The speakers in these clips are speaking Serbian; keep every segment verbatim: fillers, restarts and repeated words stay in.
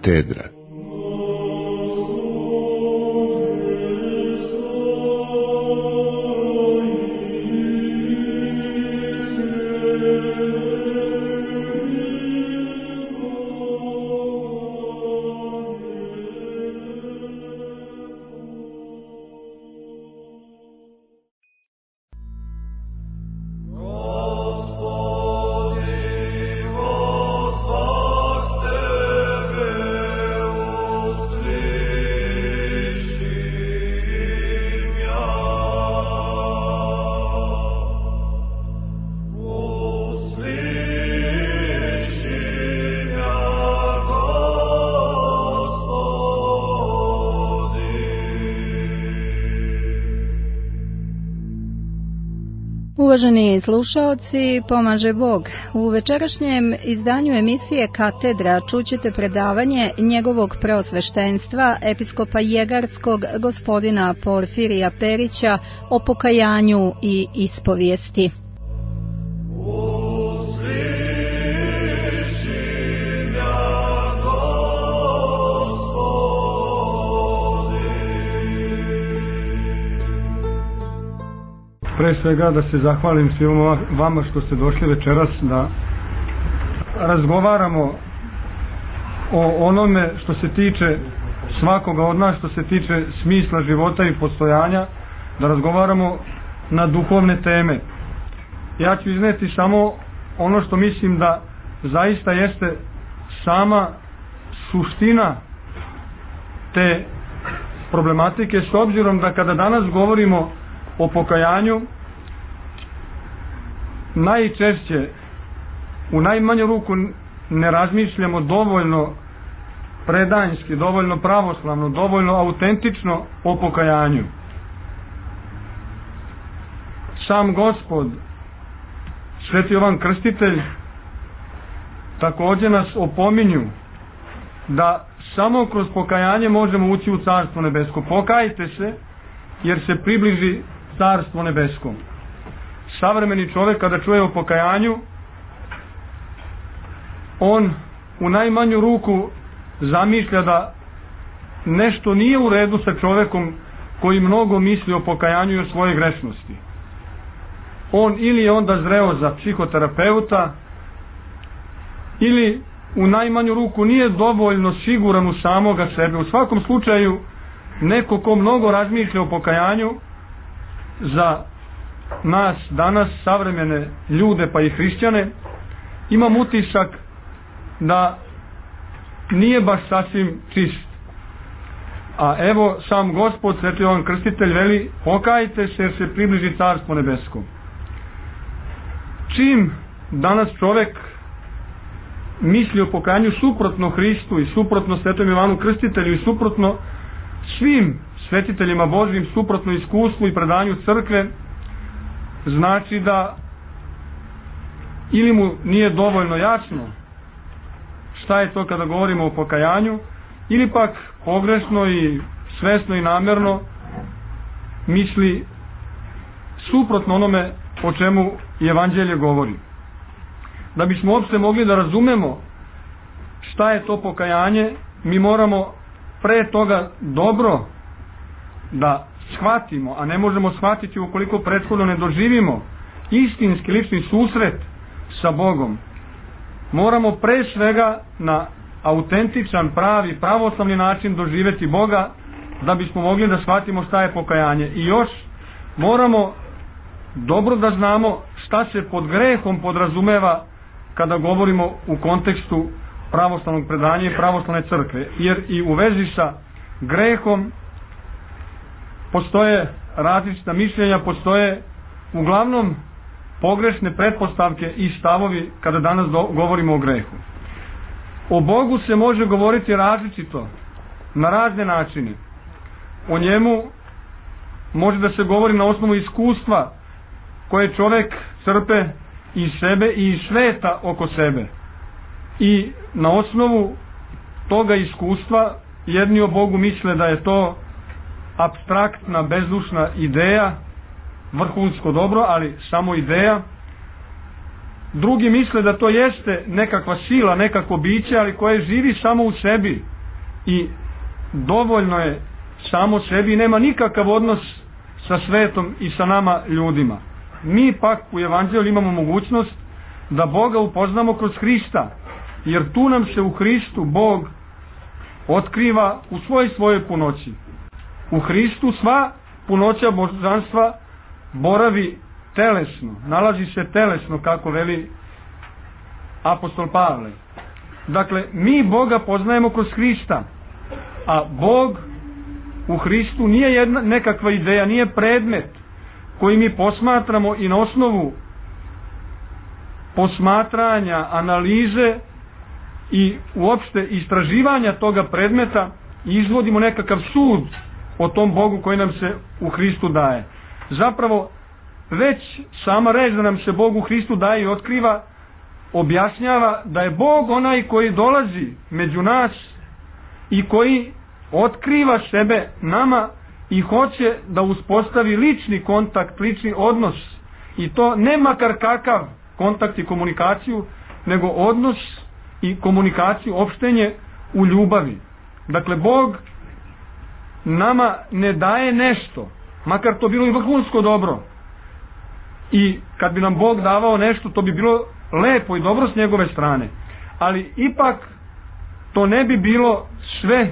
Katedra. Uvaženi slušaoci, pomaže Bog. U večerašnjem izdanju emisije Katedra čućete predavanje njegovog preosveštenstva, episkopa Jegarskog, gospodina Porfirija Perića, o pokajanju i ispovijesti. Pre svega da se zahvalim svima vama što ste došli večeras da razgovaramo o onome što se tiče svakoga od nas, što se tiče smisla života i postojanja, da razgovaramo na duhovne teme. Ja ću izneti samo ono što mislim da zaista jeste sama suština te problematike, s obzirom da kada danas govorimo o pokajanju, najčešće u najmanju ruku ne razmišljamo dovoljno predanjski, dovoljno pravoslavno, dovoljno autentično o pokajanju. Sam Gospod, Sveti Jovan Krstitelj, također nas opominju da samo kroz pokajanje možemo ući u Carstvo nebesko. Pokajte se jer se približi Carstvo nebesko. Savremeni čovjek kada čuje o pokajanju, on u najmanju ruku zamišlja da nešto nije u redu sa čovjekom koji mnogo misli o pokajanju i o svojoj grešnosti. On ili je onda zreo za psihoterapeuta, ili u najmanju ruku nije dovoljno siguran u samoga sebe. U svakom slučaju, neko ko mnogo razmišlja o pokajanju, za nas danas, savremene ljude pa i hrišćane, imam utisak da nije baš sasvim čist. A evo sam Gospod, Sveti Jovan Krstitelj, veli: pokajte se jer se približi Carstvo nebesko. Čim danas čovjek misli o pokajanju suprotno Hristu i suprotno Svetom Jovanu Krstitelju i suprotno svim svetiteljima Božjim, suprotno iskustvu i predanju crkve, znači da ili mu nije dovoljno jasno šta je to kada govorimo o pokajanju, ili pak pogrešno i svesno i namjerno misli suprotno onome o čemu evanđelje govori. Da bismo uopšte mogli da razumemo šta je to pokajanje, mi moramo pre toga dobro da shvatimo, a ne možemo shvatiti ukoliko prethodno ne doživimo istinski lični susret sa Bogom. Moramo pre svega na autentičan, pravi, pravoslavni način doživjeti Boga da bismo mogli da shvatimo šta je pokajanje. I još moramo dobro da znamo šta se pod grehom podrazumeva kada govorimo u kontekstu pravoslavnog predanja i pravoslavne crkve. Jer i u vezi sa grehom postoje različita mišljenja, postoje uglavnom pogrešne pretpostavke i stavovi kada danas do, govorimo o grehu. O Bogu se može govoriti različito, na razne načine. O njemu može da se govori na osnovu iskustva koje čovjek crpe iz sebe i iz sveta oko sebe. I na osnovu toga iskustva jedni o Bogu misle da je to apstraktna, bezdušna ideja, vrhunsko dobro, ali samo ideja. Drugi misle da to jeste nekakva sila, nekakvo biće, ali koje živi samo u sebi i dovoljno je samo sebi i nema nikakav odnos sa svetom i sa nama ljudima. Mi pak u Evanđelju imamo mogućnost da Boga upoznamo kroz Hrista, jer tu nam se u Hristu Bog otkriva u svoj svojoj punoći. U Hristu sva punoća božanstva boravi telesno, nalazi se telesno, kako veli apostol Pavle. Dakle, mi Boga poznajemo kroz Hrista, a Bog u Hristu nije jedna nekakva ideja, nije predmet koji mi posmatramo i na osnovu posmatranja, analize i uopšte istraživanja toga predmeta izvodimo nekakav sud o tom Bogu koji nam se u Hristu daje. Zapravo, već sama reč da nam se Bog u Hristu daje i otkriva, objašnjava da je Bog onaj koji dolazi među nas i koji otkriva sebe nama i hoće da uspostavi lični kontakt, lični odnos, i to ne makar kakav kontakt i komunikaciju, nego odnos i komunikaciju, opštenje u ljubavi. Dakle, Bog nama ne daje nešto, makar to bilo i vrhunsko dobro, i kad bi nam Bog davao nešto, to bi bilo lepo i dobro s njegove strane, ali ipak to ne bi bilo sve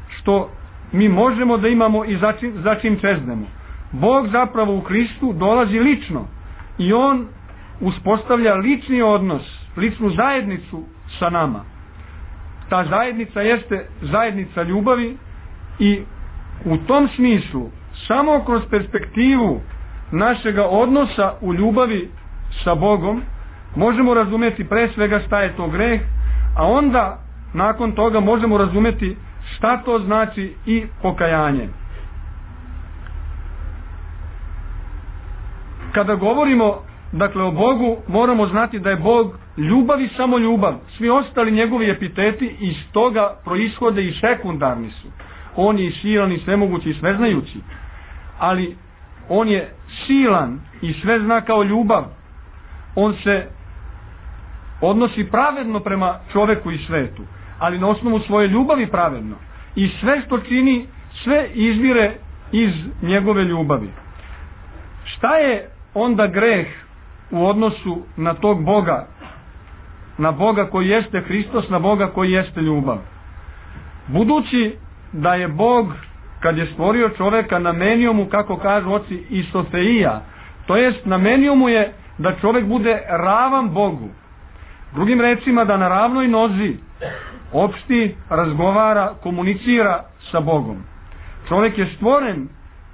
što mi možemo da imamo i za čim, za čim čeznemo. Bog zapravo u Hristu dolazi lično i on uspostavlja lični odnos, ličnu zajednicu sa nama. Ta zajednica jeste zajednica ljubavi i u tom smislu samo kroz perspektivu našega odnosa u ljubavi sa Bogom možemo razumjeti pre svega šta je to greh, a onda nakon toga možemo razumjeti šta to znači i pokajanje. Kada govorimo dakle o Bogu, moramo znati da je Bog ljubav i samo ljubav. Svi ostali njegovi epiteti iz toga proishode i sekundarni su. On je i silan i svemogući i sveznajući, ali on je silan i sve zna kao ljubav. On se odnosi pravedno prema čoveku i svetu, ali na osnovu svoje ljubavi pravedno. I sve što čini, sve izvire iz njegove ljubavi. Šta je onda greh u odnosu na tog Boga, na Boga koji jeste Hristos, na Boga koji jeste ljubav? Budući da je Bog, kad je stvorio čoveka, namenio mu, kako kažu oci, isofeija, to jest namenio mu je da čovek bude ravan Bogu. Drugim rečima, da na ravnoj nozi opšti, razgovara, komunicira sa Bogom. Čovek je stvoren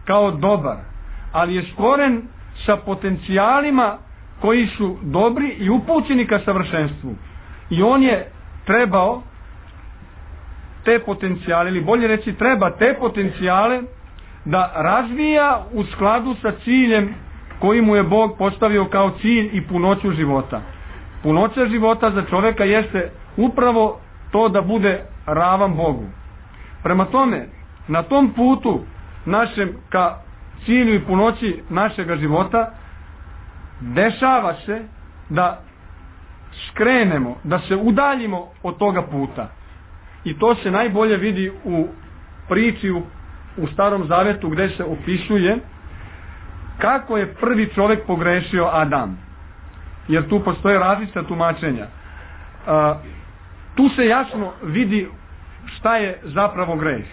kao dobar, ali je stvoren sa potencijalima koji su dobri i upućeni ka savršenstvu. I on je trebao te potencijale, ili bolje reći treba te potencijale da razvija u skladu sa ciljem koji mu je Bog postavio kao cilj i punoću života. Punoća života za čoveka jeste upravo to da bude ravan Bogu. Prema tome, na tom putu našem ka cilju i punoći našega života dešava se da skrenemo, da se udaljimo od toga puta. I to se najbolje vidi u priči u, u Starom Zavetu, gde se opisuje kako je prvi čovjek pogrešio, Adam. Jer tu postoje različita tumačenja. A, tu se jasno vidi šta je zapravo greh.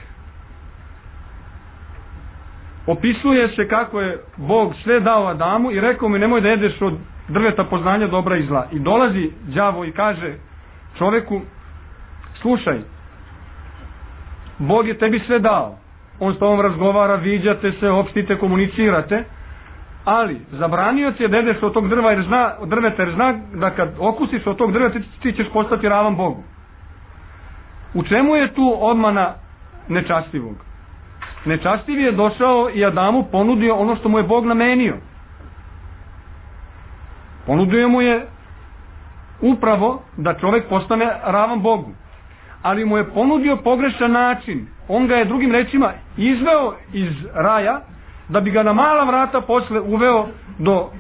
Opisuje se kako je Bog sve dao Adamu i rekao mi nemoj da jedeš od drveta poznanja dobra i zla. I dolazi đavo i kaže čoveku, slušaj, Bog je tebi sve dao. On s tobom razgovara, viđate se, opštite, komunicirate, ali zabranio ti je da jedeš od tog drva jer zna, od drveta jer zna da kad okusiš od tog drveta ti ćeš postati ravan Bogu. U čemu je tu odmana nečastivog? Nečastiv je došao i Adamu ponudio ono što mu je Bog namenio. Ponudio mu je upravo da čovjek postane ravan Bogu. Ali mu je ponudio pogrešan način. On ga je drugim rečima izveo iz raja da bi ga na mala vrata posle uveo do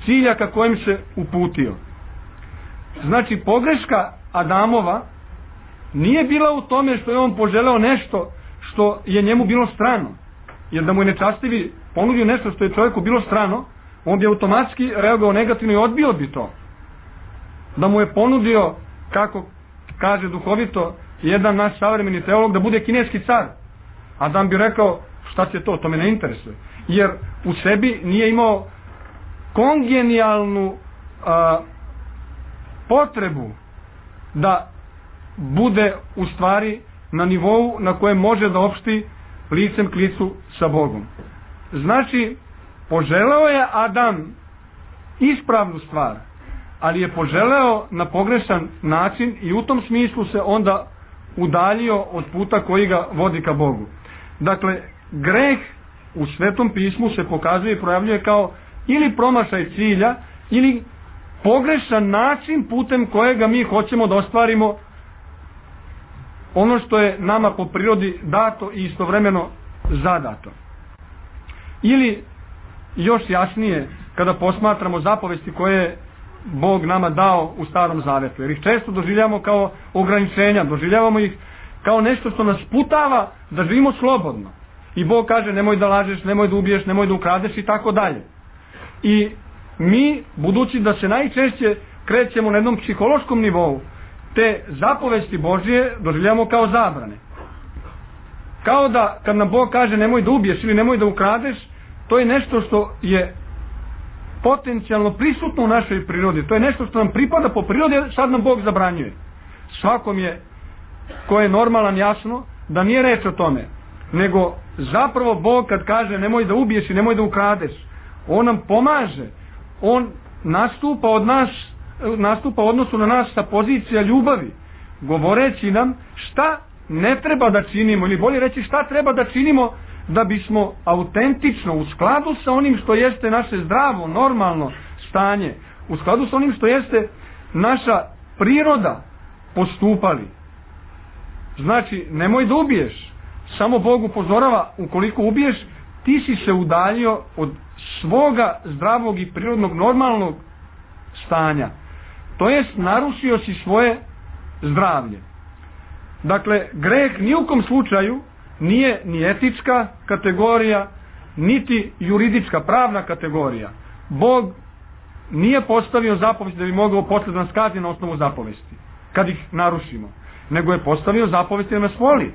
cilja ka kojem se uputio. Znači pogreška Adamova nije bila u tome što je on poželeo nešto što je njemu bilo strano. Jer da mu je nečastivi ponudio nešto što je čovjeku bilo strano, on bi automatski reagovao negativno i odbio bi to. Da mu je ponudio, kako kaže duhovito jedan naš savremeni teolog, da bude kineski car, Adam bi rekao, šta će to, to me ne interesuje. Jer u sebi nije imao kongenijalnu a, potrebu da bude u stvari na nivou na kojem može da opšti licem k licu sa Bogom. Znači, poželeo je Adam ispravnu stvar, ali je poželeo na pogrešan način i u tom smislu se onda udaljio od puta koji ga vodi ka Bogu. Dakle, greh u Svetom pismu se pokazuje i projavljuje kao ili promašaj cilja, ili pogrešan način putem kojega mi hoćemo da ostvarimo ono što je nama po prirodi dato i istovremeno zadato. Ili još jasnije, kada posmatramo zapovesti koje je Bog nama dao u Starom Zavetu, jer ih često doživljavamo kao ograničenja, doživljavamo ih kao nešto što nas putava da živimo slobodno. I Bog kaže nemoj da lažeš, nemoj da ubiješ, nemoj da ukradeš i tako dalje. I mi, budući da se najčešće krećemo na jednom psihološkom nivou, te zapovesti Božje doživljavamo kao zabrane. Kao da kad nam Bog kaže nemoj da ubiješ ili nemoj da ukradeš, to je nešto što je potencijalno prisutno u našoj prirodi. To je nešto što nam pripada po prirodi, sad nam Bog zabranjuje. Svakom je, ko je normalan, jasno da nije reč o tome, nego zapravo Bog kad kaže nemoj da ubiješ i nemoj da ukradeš, on nam pomaže, on nastupa od nas, nastupa u odnosu na nas sa pozicija ljubavi, govoreći nam šta ne treba da činimo, ili bolje reći šta treba da činimo da bismo autentično, u skladu sa onim što jeste naše zdravo, normalno stanje, u skladu sa onim što jeste naša priroda, postupali. Znači, nemoj da ubiješ. Samo Bog upozorava, ukoliko ubiješ, ti si se udaljio od svoga zdravog i prirodnog normalnog stanja. To jest, narušio si svoje zdravlje. Dakle, greh ni u kom slučaju nije ni etička kategorija, niti juridička, pravna kategorija. Bog nije postavio zapovesti da bi mogao posle da nas kazni na osnovu zapovesti, kad ih narušimo, nego je postavio zapovesti da nas voli,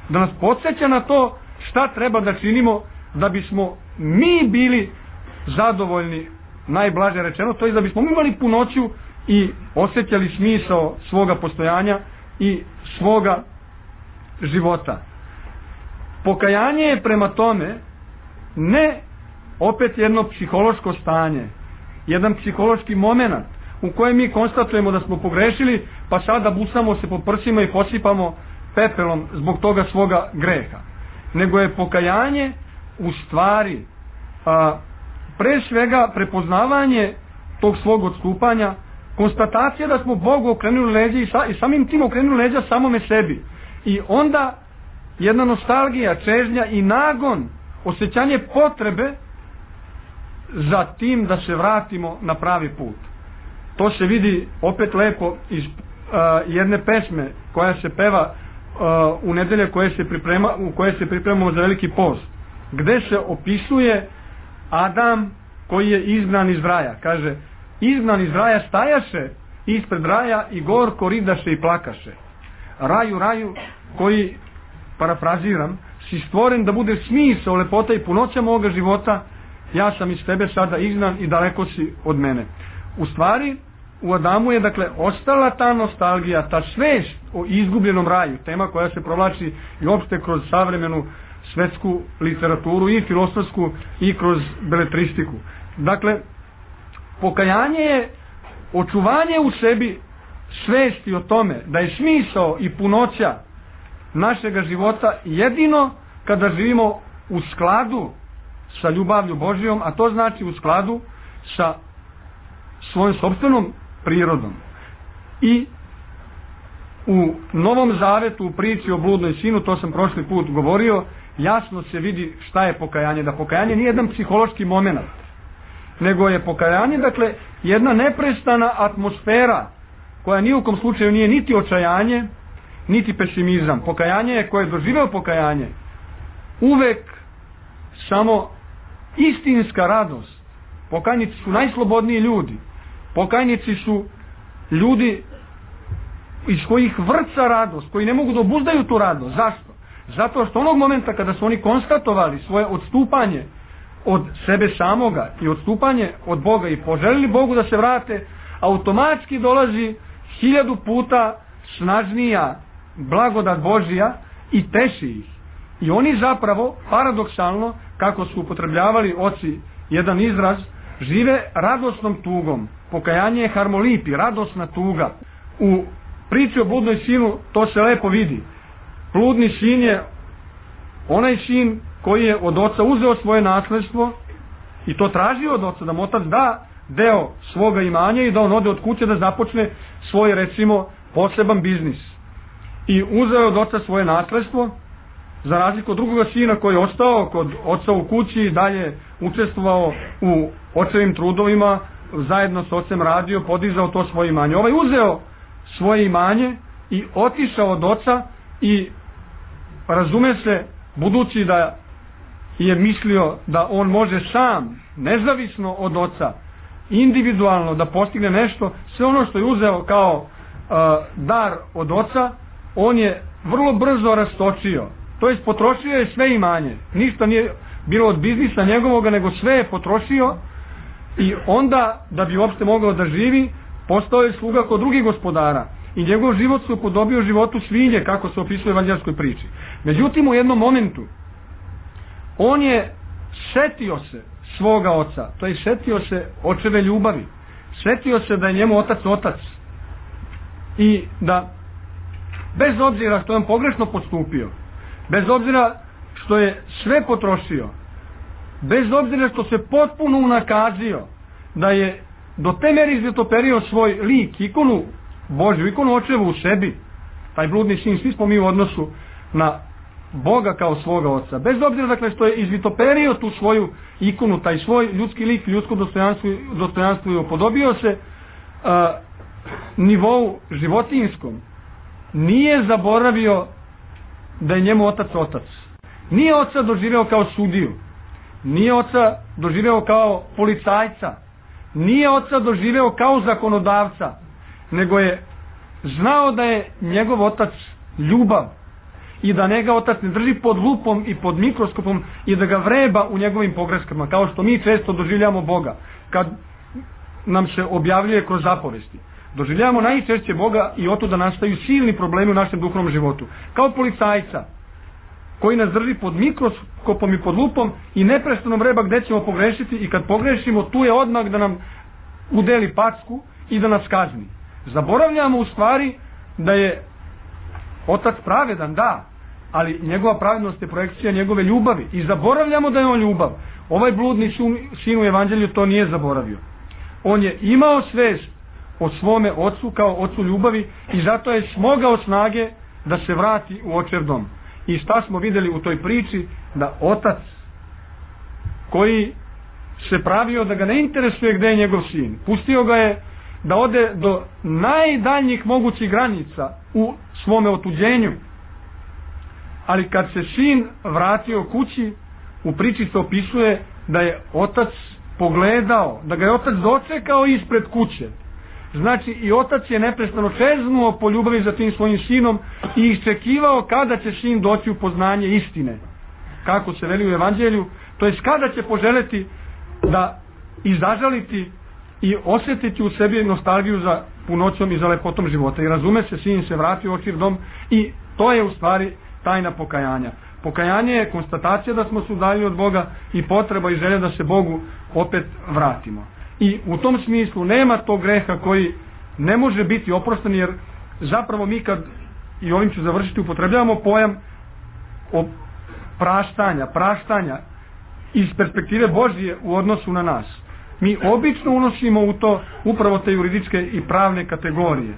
da nas podsjeća na to šta treba da činimo da bismo mi bili zadovoljni, najblaže rečeno, to je da bismo imali punoću i osjećali smisao svoga postojanja i svoga života. Pokajanje je prema tome ne opet jedno psihološko stanje, jedan psihološki moment u kojem mi konstatujemo da smo pogrešili, pa sada busamo se po prsima i posipamo pepelom zbog toga svoga greha. Nego je pokajanje u stvari a, pre svega prepoznavanje tog svog odstupanja, konstatacija da smo Bogu okrenuli leđa i, sa, i samim tim okrenuli leđa samome sebi. I onda jedna nostalgija, čežnja i nagon, osjećanje potrebe za tim da se vratimo na pravi put. To se vidi opet lepo iz uh, jedne pesme koja se peva uh, u nedelje koje se priprema, u koje se pripremamo za veliki post, gde se opisuje Adam koji je izgnan iz raja. Kaže, izgnan iz raja stajaše ispred raja i gorko ridaše i plakaše. Raju, raju, koji, parafraziram, si stvoren da bude smisao, lepota i punoća moga života, ja sam iz tebe sada izgnan i daleko si od mene. U stvari, u Adamu je dakle ostala ta nostalgija, ta svest o izgubljenom raju, tema koja se provlači i opšte kroz savremenu svetsku literaturu i filosofsku i kroz beletristiku. Dakle, pokajanje je očuvanje u sebi svesti o tome da je smisao i punoća našega života jedino kada živimo u skladu sa ljubavlju Božijom, a to znači u skladu sa svojom sopstvenom prirodom. I u Novom Zavetu, u priči o bludnoj sinu, to sam prošli put govorio, jasno se vidi šta je pokajanje. Da pokajanje nije jedan psihološki moment, nego je pokajanje, dakle, jedna neprestana atmosfera koja ni u kom slučaju nije niti očajanje, niti pesimizam. Pokajanje je, koje je doživeo pokajanje, uvek samo istinska radost. Pokajnici su najslobodniji ljudi. Pokajnici su ljudi iz kojih vrca radost, koji ne mogu da obuzdaju tu radost. Zašto? Zato što onog momenta kada su oni konstatovali svoje odstupanje od sebe samoga i odstupanje od Boga i poželili Bogu da se vrate, automatski dolazi hiljadu puta snažnija blagodat Božija i teši ih. I oni zapravo, paradoksalno, kako su upotrebljavali oci jedan izraz, žive radosnom tugom. Pokajanje je harmolipi, radosna tuga. U priči o bludnoj sinu to se lepo vidi. Bludni sin je onaj sin koji je od oca uzeo svoje nasledstvo i to tražio od oca, da mu otac da deo svoga imanja i da on ode od kuće da započne svoj, recimo, poseban biznis. I uzeo je od oca svoje nasledstvo, za razliku od drugoga sina koji je ostao kod oca u kući i dalje učestvovao u očevim trudovima, zajedno s ocem radio, podizao to svoje imanje. Ovaj uzeo svoje imanje i otišao od oca i, razume se, budući da je mislio da on može sam, nezavisno od oca, individualno da postigne nešto, sve ono što je uzeo kao uh, dar od oca, on je vrlo brzo rastočio. To jest potrošio je sve imanje. Ništa nije bilo od biznisa njegovoga, nego sve je potrošio i onda, da bi uopšte mogao da živi, postao je sluga kod drugih gospodara. I njegov život se upodobio životu svinje, kako se opisuje u evanđelskoj priči. Međutim, u jednom momentu, on je setio se svoga oca, to je setio se očeve ljubavi, setio se da je njemu otac otac i da, bez obzira što je on pogrešno postupio, bez obzira što je sve potrošio, bez obzira što se potpuno unakazio, da je do te meri izvitoperio svoj lik, ikonu Božju, ikonu očevu u sebi, taj bludni sin, svi smo mi u odnosu na Boga kao svoga oca, bez obzira dakle što je izvitoperio tu svoju ikonu, taj svoj ljudski lik, ljudsko dostojanstvo, dostojanstvo i upodobio se uh, nivou životinskom, nije zaboravio da je njemu otac otac. Nije oca doživeo kao sudiju, nije oca doživeo kao policajca, nije oca doživeo kao zakonodavca, nego je znao da je njegov otac ljubav i da njega otac ne drži pod lupom i pod mikroskopom i da ga vreba u njegovim pogreškama, kao što mi često doživljamo Boga kad nam se objavljuje kroz zapovesti. Doživljavamo najčešće Boga i oto da nastaju silni problemi u našem duhovnom životu. Kao policajca koji nas drži pod mikroskopom i pod lupom i neprestano vreba gde ćemo pogrešiti i kad pogrešimo tu je odmah da nam udeli packu i da nas kazni. Zaboravljamo u stvari da je otac pravedan, da, ali njegova pravednost je projekcija njegove ljubavi i zaboravljamo da je on ljubav. Ovaj bludni sin u evanđelju to nije zaboravio. On je imao svest o svome ocu kao ocu ljubavi i zato je smogao snage da se vrati u očev dom. I šta smo vidjeli u toj priči? Da otac koji se pravio da ga ne interesuje gde je njegov sin, pustio ga je da ode do najdaljnjih mogućih granica u svome otuđenju. Ali kad se sin vratio kući, u priči se opisuje da je otac pogledao, da ga je otac dočekao ispred kuće. Znači i otac je neprestano čeznuo po ljubavi za tim svojim sinom i iščekivao kada će sin doći u poznanje istine. Kako se veli u evanđelju, to jest kada će poželeti da i zažaliti i osjetiti u sebi nostalgiju za punoćom i za lepotom života. I razume se, sin se vratio u očev dom i to je u stvari tajna pokajanja. Pokajanje je konstatacija da smo se udaljili od Boga i potreba i želja da se Bogu opet vratimo. I u tom smislu nema tog greha koji ne može biti oprostan, jer zapravo mi kad, i ovim ću završiti, upotrebljavamo pojam o praštanja, praštanja iz perspektive Božije u odnosu na nas. Mi obično unosimo u to upravo te juridičke i pravne kategorije.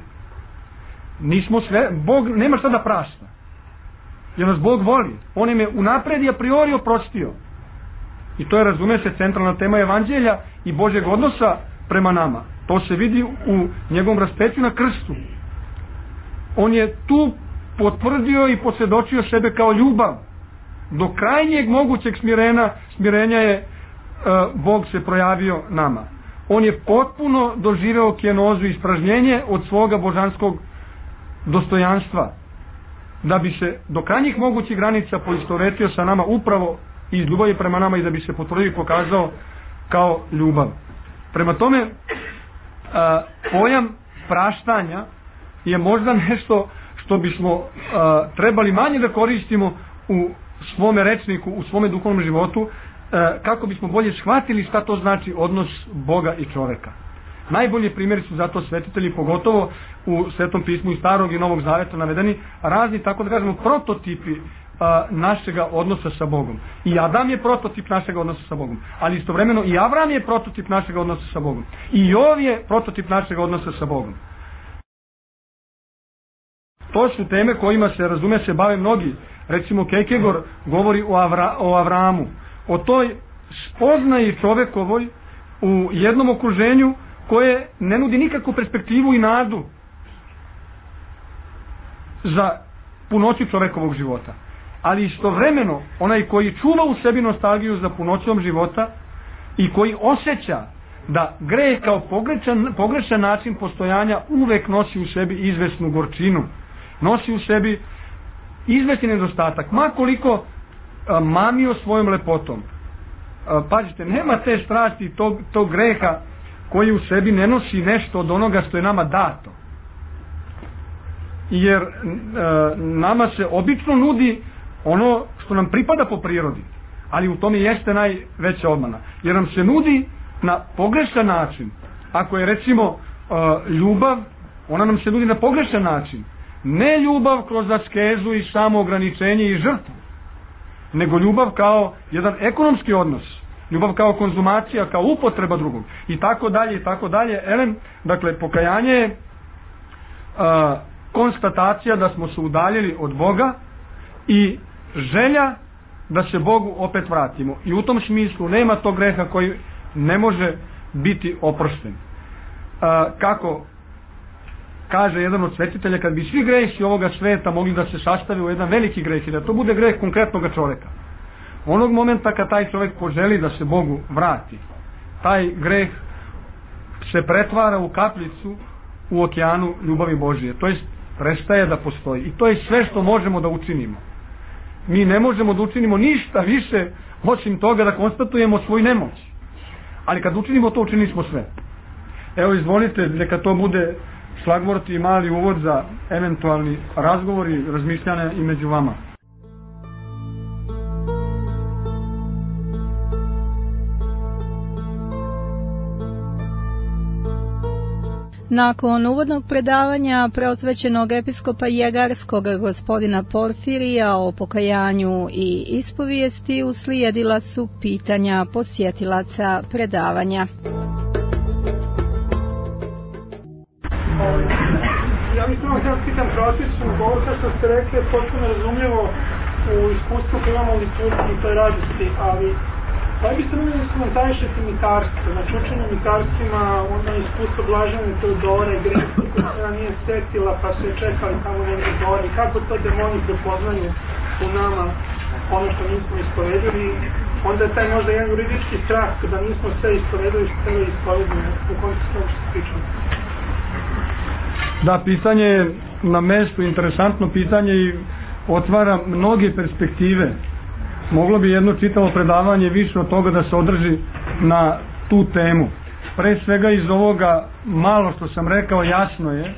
Nismo sve, Bog nema šta da prašta. Jer nas Bog voli. On im je unapred i a priori oprostio. I to je, razume se, centralna tema evanđelja i Božjeg odnosa prema nama. To se vidi u njegovom raspeću na krstu. On je tu potvrdio i posvjedočio sebe kao ljubav. Do krajnjeg mogućeg smirena, smirenja je uh, Bog se projavio nama. On je potpuno doživeo kenozu i ispražnjenje od svoga božanskog dostojanstva, da bi se do krajnjih mogućih granica poistovetio sa nama upravo iz ljubavi prema nama i da bi se potvrdio i pokazao kao ljubav. Prema tome, a, pojam praštanja je možda nešto što bismo a, trebali manje da koristimo u svome rečniku, u svome duhovnom životu, a, kako bismo bolje shvatili šta to znači odnos Boga i čoveka. Najbolji primjeri su zato svetitelji, pogotovo u Svetom pismu i Starog i Novog Zaveta navedeni razni, tako da kažemo, prototipi a, našega odnosa sa Bogom. I Adam je prototip našega odnosa sa Bogom, ali istovremeno i Avram je prototip našega odnosa sa Bogom. I Jov je prototip našega odnosa sa Bogom. To su teme kojima se, razume se, bave mnogi. Recimo Kierkegaard govori o, Avra, o Avramu, o toj spoznaji čovekovoj u jednom okruženju koje ne nudi nikakvu perspektivu i nadu za punoću čovekovog života. Ali istovremeno onaj koji čuva u sebi nostalgiju za punoćom života i koji osjeća da greh kao pogrešan, pogrešan način postojanja uvek nosi u sebi izvesnu gorčinu, nosi u sebi izvesni nedostatak, ma koliko a, mamio svojom lepotom. A, pazite, nema te strasti tog, tog greha koji u sebi ne nosi nešto od onoga što je nama dato. Jer e, nama se obično nudi ono što nam pripada po prirodi, ali u tome jeste najveća obmana. Jer nam se nudi na pogrešan način. Ako je recimo e, ljubav, ona nam se nudi na pogrešan način. Ne ljubav kroz askezu i samoograničenje i žrtvu, nego ljubav kao jedan ekonomski odnos. Ljubav kao konzumacija, kao upotreba drugog i tako dalje i tako dalje. Elem, dakle, pokajanje je a, konstatacija da smo se udaljili od Boga i želja da se Bogu opet vratimo. I u tom smislu nema tog greha koji ne može biti oprošten. A, kako kaže jedan od svetitelja, kad bi svi gresi ovoga sveta mogli da se sastave u jedan veliki greh i da to bude greh konkretnog čoveka, onog momenta kad taj čovjek poželi da se Bogu vrati, taj greh se pretvara u kapljicu u okeanu ljubavi Božije. To jest, prestaje da postoji. I to je sve što možemo da učinimo. Mi ne možemo da učinimo ništa više osim toga da konstatujemo svoju nemoć. Ali kad učinimo to, učinili smo sve. Evo, izvolite, neka to bude šlagvort i mali uvod za eventualni razgovor i razmišljanja i među vama. Nakon uvodnog predavanja preosvećenog episkopa Jegarskog gospodina Porfirija o pokajanju i ispovijesti uslijedila su pitanja posjetilaca predavanja. Ja mislim vam sad pitam prosječnu, ovo što ste rekli je potpuno razumljivo u iskustvu koje imamo u liturgiji i toj radosti, ali da biste mi komentarišete mitarstvo, znači učenje mitarstvima, ono iskustvo Blažene Teodore, Grecke koja se nije setila pa su je čekali tamo negdje gore, kako to demoni prepoznaju u nama ono što nismo ispovedili, onda je taj možda jedan juridički strah kada nismo sve ispovedili što treba ispovedili u kontekstu što se pričamo. Da, pitanje je na mestu, interesantno pitanje i otvara mnoge perspektive. Moglo bi jedno čitavo predavanje više od toga da se održi na tu temu. Pre svega iz ovoga malo što sam rekao, jasno je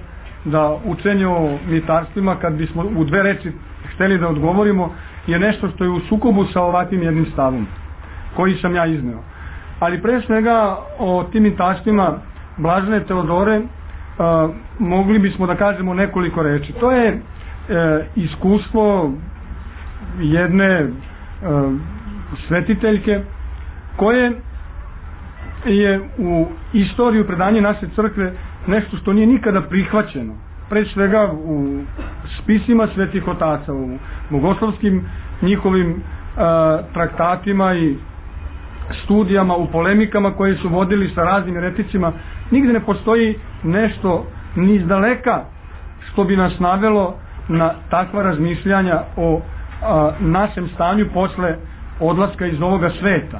da učenje o mitarstvima, kad bismo u dve reči hteli da odgovorimo, je nešto što je u sukobu sa ovakvim jednim stavom koji sam ja izneo. Ali pre svega o tim mitarstvima Blažene Teodore Uh, mogli bismo da kažemo nekoliko reči. To je uh, iskustvo jedne uh, svetiteljke koje je u istoriju predanje naše crkve nešto što nije nikada prihvaćeno. Pre svega u spisima svetih otaca, u bogoslovskim njihovim uh, traktatima i studijama, u polemikama koje su vodili sa raznim ereticima, nigde ne postoji nešto ni izdaleka što bi nas navelo na takva razmišljanja o a, našem stanju posle odlaska iz ovoga sveta.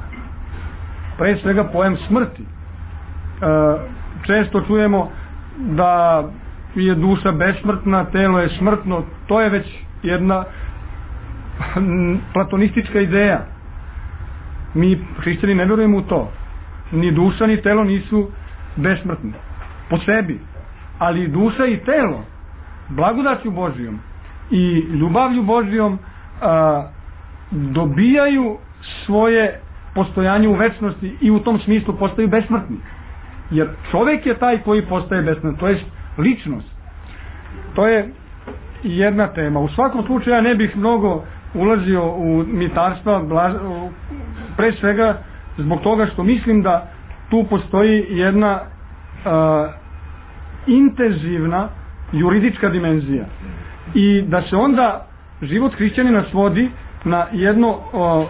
Pre svega pojam smrti. A, često čujemo da je duša besmrtna, telo je smrtno. To je već jedna platonistička ideja. Mi hrišćani ne vjerujemo u to. Ni duša ni telo nisu besmrtni po sebi, ali duša i telo blagodaću Božijom i ljubavlju Božijom a, dobijaju svoje postojanje u večnosti i u tom smislu postaju besmrtni. Jer čovjek je taj koji postaje besmrtni, to je ličnost. To je jedna tema. U svakom slučaju ja ne bih mnogo ulazio u mitarstva, pre svega zbog toga što mislim da tu postoji jedna uh, intenzivna juridička dimenzija i da se onda život hrišćanina svodi na jedno uh,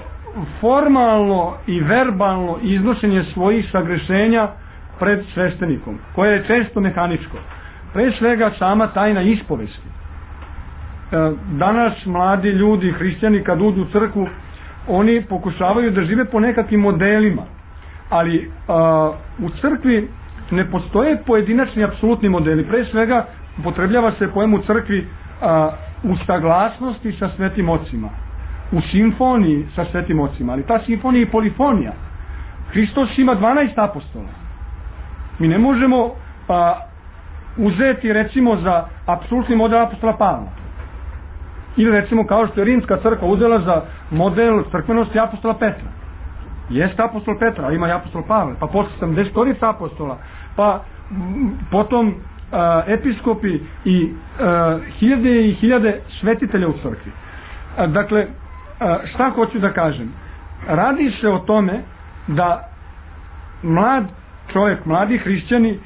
formalno i verbalno iznošenje svojih sagrešenja pred sveštenikom, koje je često mehaničko. Pre svega sama tajna ispovesti. Danas mladi ljudi, hrišćani, kad uđu u crkvu, oni pokušavaju da žive po nekakvim modelima, ali a, u crkvi ne postoje pojedinačni apsolutni modeli. Pre svega upotrebljava se pojem u crkvi a, u saglasnosti sa svetim ocima, u simfoniji sa svetim ocima, ali ta simfonija je polifonija. Hristos ima dvanaest apostola. Mi ne možemo a, uzeti recimo za apsolutni model apostola Pavla. Ili recimo kao što je Rimska crkva uzela za model crkvenosti apostola Petra. Jeste apostol Petra, ali ima i apostol Pavle, pa posle sedamdeset apostola, pa m, potom a, episkopi i a, hiljade i hiljade svetitelja u crkvi. A, dakle, a, šta hoću da kažem? Radi se o tome da mlad čovjek, mladi hrišćani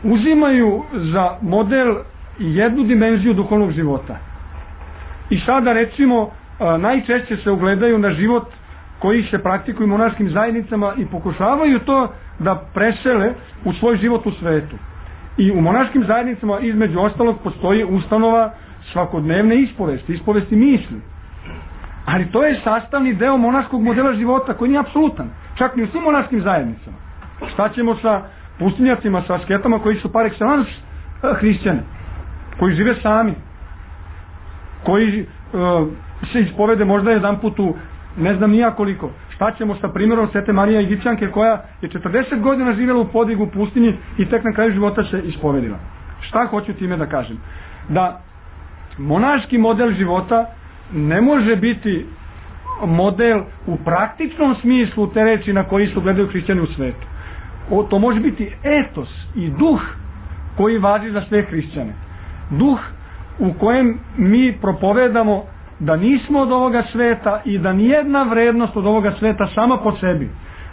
uzimaju za model jednu dimenziju duhovnog života. I sada recimo najčešće se ugledaju na život koji se praktikuje u monaškim zajednicama i pokušavaju to da presele u svoj život u svetu. I u monaškim zajednicama između ostalog postoji ustanova svakodnevne ispovesti, ispovesti misli. Ali to je sastavni deo monaškog modela života koji nije apsolutan, čak ni u svim monaškim zajednicama. Šta ćemo sa pustinjacima, sa asketama koji su par excellence hrišćani, koji žive sami, koji uh, se ispovede možda jedan put u ne znam nija koliko. Šta ćemo sa primjerom Svete Marije Egipćanke koja je četrdeset godina živjela u podigu u pustinji i tek na kraju života se ispovedila. Šta hoću time da kažem? Da monaški model života ne može biti model u praktičnom smislu te reči na koji su gledaju hrišćani u svetu. O, to može biti etos i duh koji važi za sve hrišćane. Duh u kojem mi propovedamo da nismo od ovoga sveta i da nijedna vrednost od ovoga sveta sama po sebi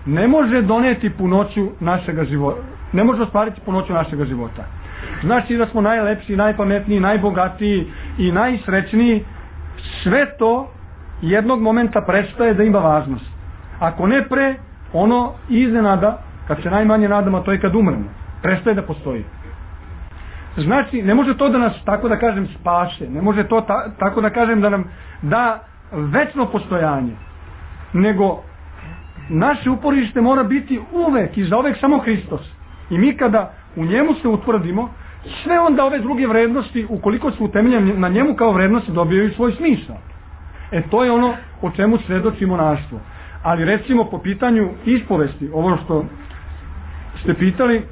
ne može doneti punoću našega života, ne može ostvariti punoću našega života. Znači da smo najlepši, najpametniji, najbogatiji i najsrećniji, sve to jednog momenta prestaje da ima važnost. Ako ne pre, ono iznenada, kad se najmanje nadamo, to je kad umremo, prestaje da postoji. Znači, ne može to da nas, tako da kažem, spase, ne može to ta, tako da kažem da nam da večno postojanje, nego naše uporište mora biti uvek i zauvek samo Hristos. I mi kada u njemu se utvrdimo, sve onda ove druge vrednosti, ukoliko su utemeljene na njemu kao vrednosti, dobijaju svoj smisao. E to je ono o čemu svedoči monaštvo. Ali recimo po pitanju ispovesti, ovo što ste pitali,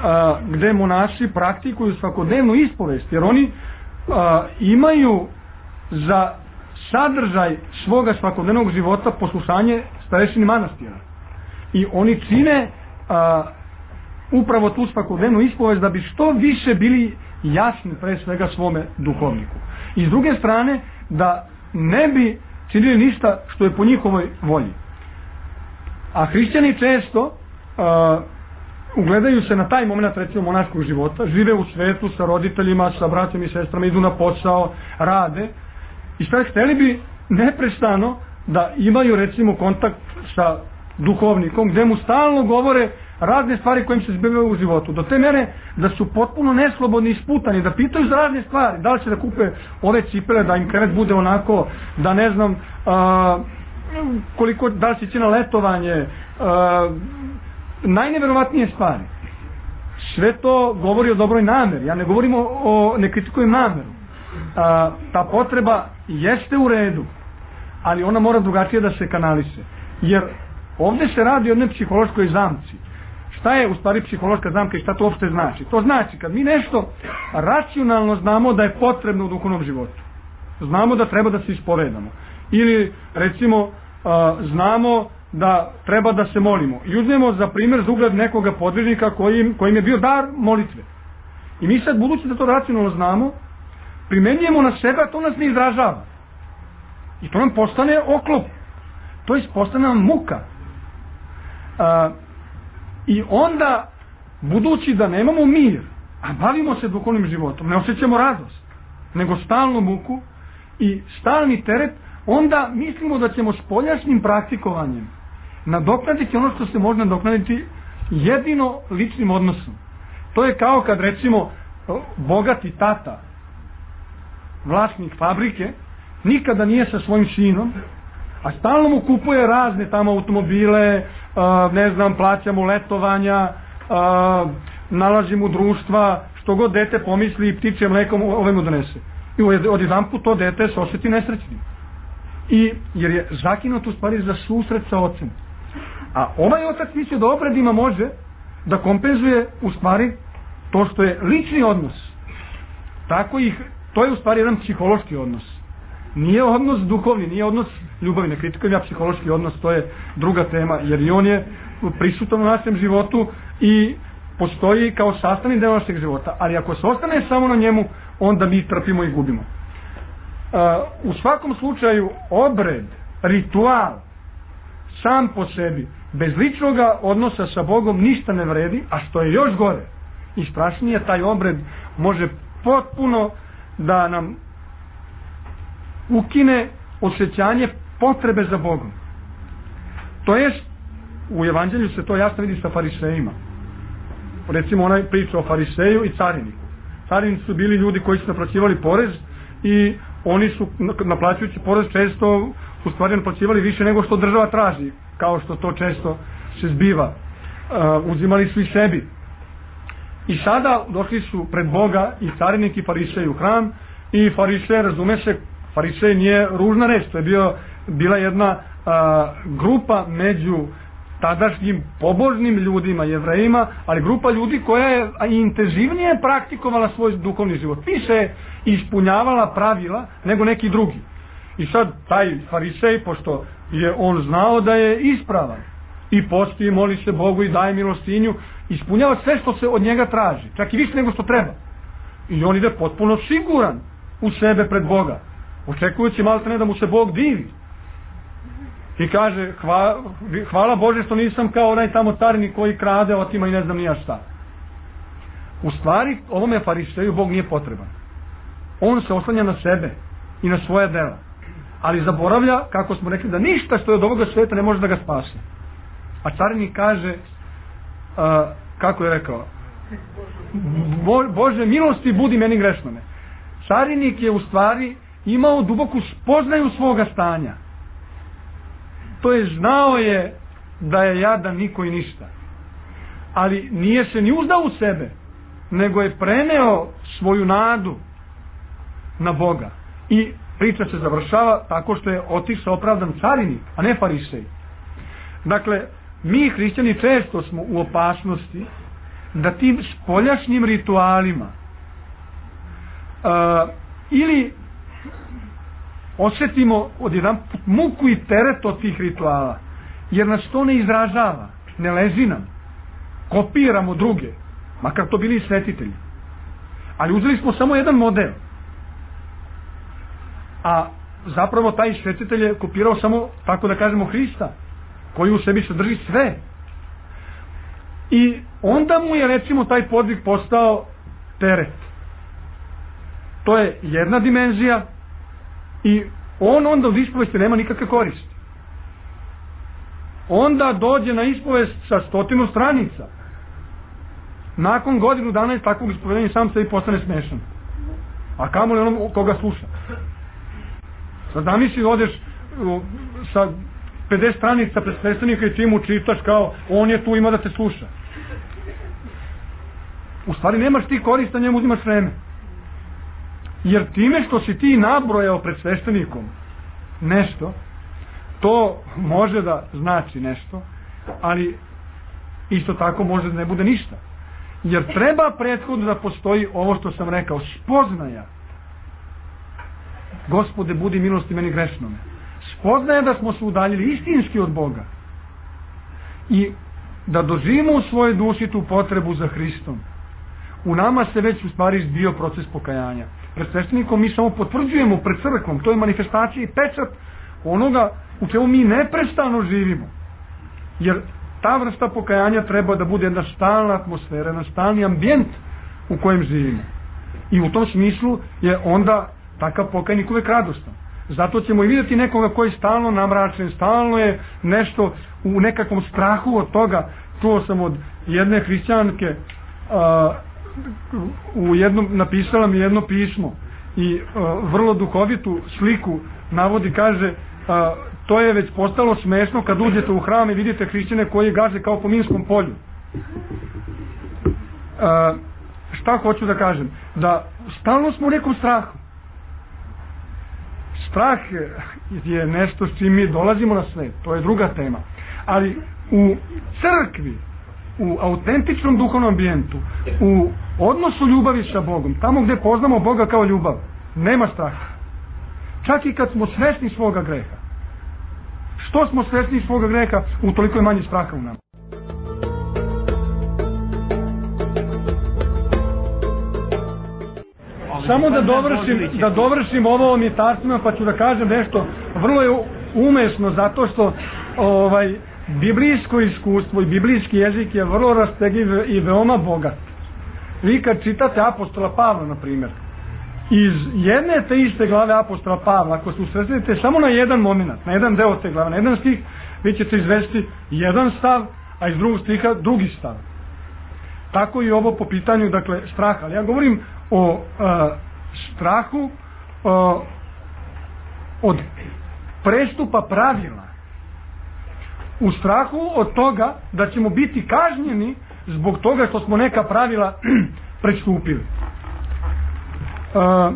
a, gde monaši praktikuju svakodnevnu ispovest, jer oni a, imaju za sadržaj svoga svakodnevnog života poslušanje starešini manastira. I oni čine a, upravo tu svakodnevnu ispovest da bi što više bili jasni pre svega svome duhovniku. I s druge strane da ne bi činili ništa što je po njihovoj volji. A hrišćani često a, ugledaju se na taj moment recimo monaškog života, žive u svetu sa roditeljima, sa braćom i sestrama, idu na posao, rade i šta hteli bi neprestano da imaju recimo kontakt sa duhovnikom gdje mu stalno govore razne stvari kojim se zbivaju u životu, do te mere da su potpuno neslobodni i sputani, da pitaju za razne stvari, da li će da kupe ove cipele, da im krevet bude onako, da ne znam a, koliko, da li će ići na letovanje, a, najneverovatnije stvari. Sve to govori o dobroj nameri, ja ne govorim o, o ne kritikujem nameru. A, ta potreba jeste u redu, ali ona mora drugačije da se kanalise, jer ovdje se radi o jednoj psihološkoj zamci. Šta je u stvari psihološka zamka i šta to uopšte znači? To znači kad mi nešto racionalno znamo da je potrebno u duhovnom životu, znamo da treba da se ispovedamo, ili recimo a, znamo da treba da se molimo i uzmemo za primjer za ugled nekoga podvižnika kojim, kojim je bio dar molitve, i mi sad budući da to racionalno znamo primenjujemo na sebe, a to nas ne izražava i to nam postane oklop, to postane nam muka. A, i onda budući da nemamo mir, a bavimo se duhovnim životom, ne osjećamo radost nego stalnu muku i stalni teret, onda mislimo da ćemo spoljašnjim praktikovanjem nadoknaditi ono što se može nadoknaditi jedino ličnim odnosom. To je kao kad recimo bogati tata, vlasnik fabrike, nikada nije sa svojim sinom, a stalno mu kupuje razne tamo automobile, uh, ne znam, plaća mu letovanja, uh, nalazi mu društva, što god dete pomisli i ptiče mlekom ove mu donese. I od jedan put to dete se osjeti nesrećnim. I, jer je zakinut u stvari za susret sa ocem. A ovaj otac misli da obredima može da kompenzuje u stvari to što je lični odnos. Tako ih, to je u stvari jedan psihološki odnos. Nije odnos duhovni, nije odnos ljubavi, ne kritikujem ja psihološki odnos, to je druga tema, jer i on je prisutan u našem životu i postoji kao sastavni deo našeg života, ali ako se ostane samo na njemu, onda mi trpimo i gubimo. Uh, u svakom slučaju obred, ritual sam po sebi bez ličnog odnosa sa Bogom ništa ne vredi, a što je još gore i strašnije, taj obred može potpuno da nam ukine osjećanje potrebe za Bogom. To je, u evanđelju se to jasno vidi sa farisejima. Recimo onaj priča o fariseju i cariniku. Carinici su bili ljudi koji su naplaćivali porez i oni su naplaćujući porez često u stvari naplaćivali više nego što država traži, kao što to često se zbiva. Uh, uzimali su i sebi. I sada došli su pred Boga i carinik i farisej u hram, i farisej, razume se, farisej nije ružna reč, to je bio, bila jedna a, grupa među tadašnjim pobožnim ljudima, Jevrejima, ali grupa ljudi koja je intenzivnije praktikovala svoj duhovni život, više ispunjavala pravila nego neki drugi. I sad taj farisej, pošto je on znao da je ispravan i posti, moli se Bogu i daje milostinju, ispunjava sve što se od njega traži, čak i više nego što treba, i on ide potpuno siguran u sebe pred Boga, očekujući malo ne da mu se Bog divi i kaže hva, hvala Bože što nisam kao onaj tamo carinik koji krade, otima i ne znam nija šta. U stvari ovome fariseju Bog nije potreban, on se oslanja na sebe i na svoje dela, ali zaboravlja, kako smo rekli, da ništa što je od ovoga sveta ne može da ga spase. A carinik kaže, a, kako je rekao, Bo, Bože milosti budi meni grešnome. Carinik je u stvari imao duboku spoznaju svoga stanja. To je, znao je da je jadan niko i ništa, ali nije se ni uzdao u sebe, nego je preneo svoju nadu na Boga. I priča se završava tako što je otišao opravdan carinik, a ne farisej. Dakle, mi hrišćani često smo u opasnosti da tim spoljašnjim ritualima uh, ili osjetimo odjedan muku i teret od tih rituala, jer nas to ne izražava, ne leži nam, kopiramo druge, makar to bili svetitelji, ali uzeli smo samo jedan model, a zapravo taj svetitelj je kopirao samo, tako da kažemo, Hrista, koji u sebi sadrži sve. I onda mu je, recimo, taj podvig postao teret. To je jedna dimenzija i on onda od ispovesti nema nikakve koristi. onda dođe na ispovest sa stotinu stranica. Nakon godinu dana iz takvog ispovedanja sam sebi postane smešan. A kamo li onom koga sluša? Sad zamisli, odeš sa pedeset stranica pred sveštenika i ti mu čitaš kao on je tu, ima da te sluša. U stvari nemaš ti korista, njemu uzimaš vreme. Jer time što si ti nabrojao pred sveštenikom nešto, to može da znači nešto, ali isto tako može da ne bude ništa. Jer treba prethodno da postoji ovo što sam rekao, spoznaja. Gospode, budi milosti meni grešnome. Spoznaja da smo se udaljili istinski od Boga i da doživimo u svojoj duši tu potrebu za Hristom. U nama se već u stvari bio proces pokajanja. Pred sveštenikom mi samo potvrđujemo, pred crkvom, to je manifestacija i pečat onoga u čemu mi neprestano živimo. Jer ta vrsta pokajanja treba da bude jedna stalna atmosfera, jedan stalni ambijent u kojem živimo. I u tom smislu je onda takav pokajnik uvek radostan. Zato ćemo i vidjeti nekoga koji je stalno namračen, stalno je nešto u nekakvom strahu od toga. Čuo sam od jedne hrišćanke, a, u jednom, napisala mi jedno pismo i a, vrlo duhovitu sliku navodi, kaže, a, to je već postalo smešno kad uđete u hram i vidite hrišćane koji gaze kao po minskom polju. A, šta hoću da kažem? Da stalno smo u nekom strahu. Strah je nešto s čim mi dolazimo na svet, to je druga tema. Ali u crkvi, u autentičnom duhovnom ambijentu, u odnosu ljubavi sa Bogom, tamo gde poznamo Boga kao ljubav, nema straha. Čak i kad smo svesni svoga greha. Što smo svesni svoga greha, utoliko je manje straha u nama. Samo da dovršim, da dovršim ovo o mjestarstvima, pa ću da kažem nešto vrlo je umesno, zato što ovaj, biblijsko iskustvo i biblijski jezik je vrlo rastegljiv i veoma bogat. Vi kad čitate apostola Pavla, na primjer, iz jedne te iste glave apostola Pavla, ako se usredsredite samo na jedan moment, na jedan deo te glave, na jedan stih, vi ćete izvesti jedan stav, a iz drugog stiha drugi stav. Tako i ovo po pitanju, dakle, straha. Ali ja govorim o uh, strahu uh, od prestupa pravila. U strahu od toga da ćemo biti kažnjeni zbog toga što smo neka pravila prestupili. Uh,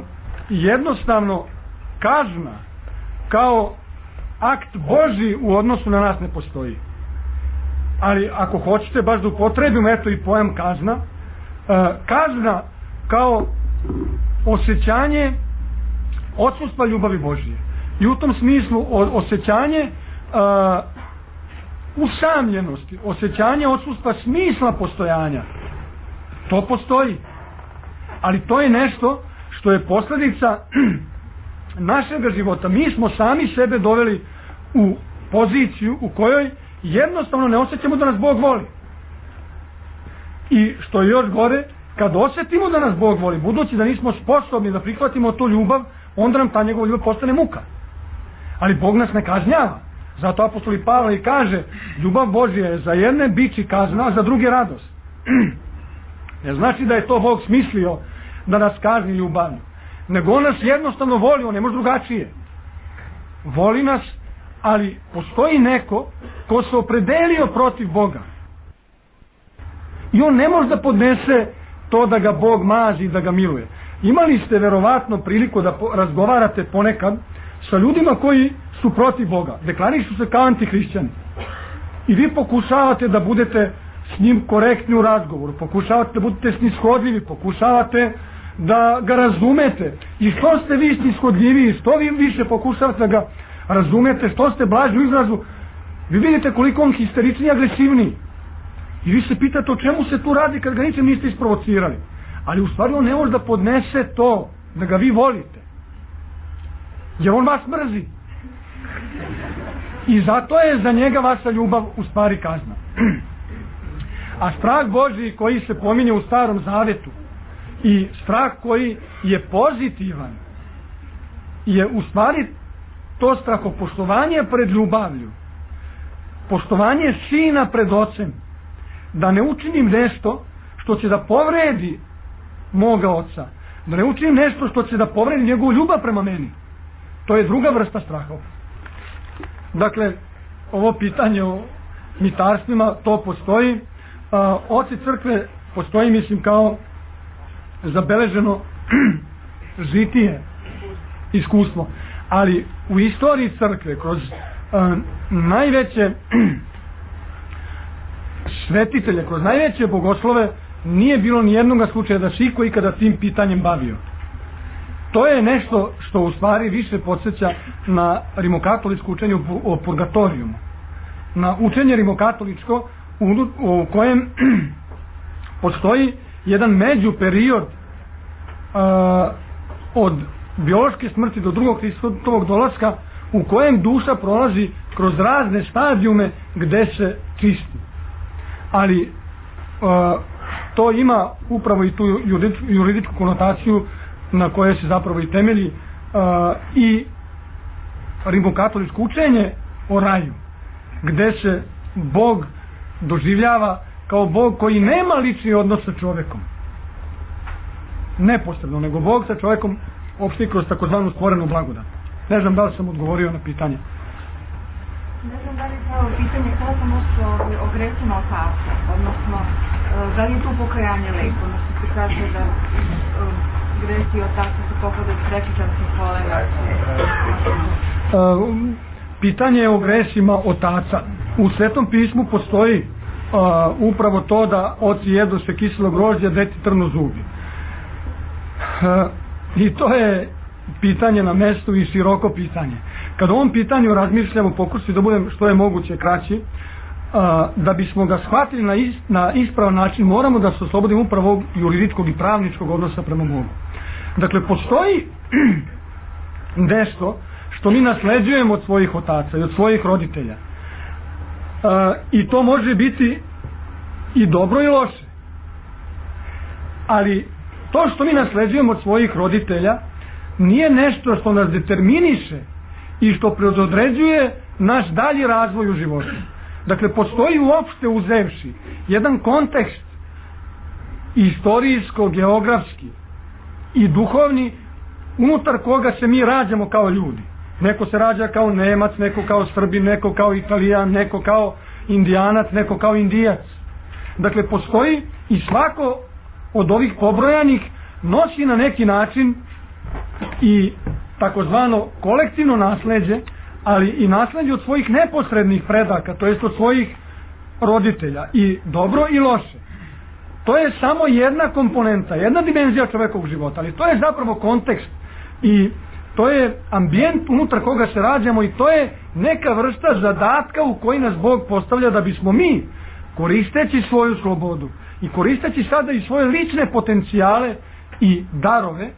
jednostavno kazna kao akt Božji u odnosu na nas ne postoji. Ali ako hoćete baš da upotrebimo eto i pojam kazna, uh, kazna kao osjećanje odsustva ljubavi Božje. I u tom smislu osjećanje uh, usamljenosti, osjećanje odsustva smisla postojanja. To postoji. Ali to je nešto što je posljedica našeg života. Mi smo sami sebe doveli u poziciju u kojoj jednostavno ne osjećamo da nas Bog voli. I što je još gore, kad osjetimo da nas Bog voli, budući da nismo sposobni da prihvatimo tu ljubav, onda nam ta njegova ljubav postane muka. Ali Bog nas ne kažnjava. Zato apostol Pavle i kaže, ljubav Božja je za jedne bići kazna, a za druge radost. Ne znači da je to Bog smislio da nas kazni ljubavno, nego on nas jednostavno voli, on ne može drugačije. Voli nas, ali postoji neko ko se opredelio protiv Boga. I on ne može da podnese to da ga Bog mazi i da ga miluje. Imali ste verovatno priliku da razgovarate ponekad sa ljudima koji su protiv Boga, deklarišu se kao antihrišćani. I vi pokušavate da budete s njim korektni u razgovoru, pokušavate da budete snishodljivi, pokušavate da ga razumete. I što ste vi snishodljiviji, što vi više pokušavate da ga razumete, što ste blaži u izrazu, vi vidite koliko on histerični i agresivniji. I vi se pitate o čemu se tu radi kad ga ničem niste isprovocirali. Ali u stvari on ne može da podnese to, da ga vi volite. Jer on vas mrzi. I zato je za njega vaša ljubav u stvari kazna. A strah Božji koji se pominje u Starom Zavetu i strah koji je pozitivan je u stvari to strahopoštovanje pred ljubavlju poštovanje sina pred ocem, da ne učinim nešto što će da povredi moga oca, da ne učinim nešto što će da povredi njegovu ljubav prema meni. To je druga vrsta straha. Dakle, ovo pitanje o mitarstvima, to postoji. A, oci crkve postoji, mislim, kao zabeleženo žitije iskustvo. Ali u istoriji crkve, kroz a, najveće svetitelje, kroz najveće bogoslove, nije bilo ni jednog slučaja da se iko ikada tim pitanjem bavio. To je nešto što u stvari više podsjeća na rimokatoličko učenje o purgatorijumu. Na učenje rimokatoličko u, u kojem postoji jedan međuperiod uh, od biološke smrti do drugog Hristovog dolaska, u kojem duša prolazi kroz razne stadijume gde se čisti. Ali uh, to ima upravo i tu juridičku konotaciju na koje se zapravo i temelji uh, i rimokatoličko učenje o raju, gde se Bog doživljava kao Bog koji nema lični odnos sa čovekom, neposredno, nego Bog sa čovekom opšti kroz takozvanu stvorenu blagodat. Ne znam da li sam odgovorio na pitanje. Ne znam da li je pravo pitanje kada sam ošto o gresima otaca, odnosno da li je tu pokajanje lek, odnosno se kaže da gresi otaca se pohodaju prekičarskim kolena. Pitanje o gresima otaca. U Svetom pismu postoji uh, upravo to da oci jedu se kiselo grožđe, deti trnu zubi. Uh, I to je pitanje na mestu i široko pitanje. Kad o ovom pitanju razmišljamo, pokušati da budem što je moguće kraći, a, da bismo ga shvatili na, is, na ispravan način, moramo da se oslobodimo upravo ovog juridičkog i pravničkog odnosa prema Bogu. Dakle, postoji nešto što mi nasleđujemo od svojih otaca i od svojih roditelja. A, I to može biti i dobro i loše. Ali to što mi nasleđujemo od svojih roditelja nije nešto što nas determiniše i što predodređuje naš dalji razvoj u životu. Dakle, postoji uopšte uzevši jedan kontekst istorijsko, geografski i duhovni unutar koga se mi rađamo kao ljudi. Neko se rađa kao Nemac, neko kao Srbin, neko kao Italijan, neko kao Indijanac, neko kao Indijac. Dakle, postoji i svako od ovih pobrojanih nosi na neki način i takozvano kolektivno nasleđe, ali i nasleđe od svojih neposrednih predaka, to jest od svojih roditelja, i dobro i loše. To je samo jedna komponenta, jedna dimenzija čovekovog života, ali to je zapravo kontekst i to je ambijent unutar koga se rađamo i to je neka vrsta zadatka u koji nas Bog postavlja da bismo mi, koristeći svoju slobodu i koristeći sada i svoje lične potencijale i darove,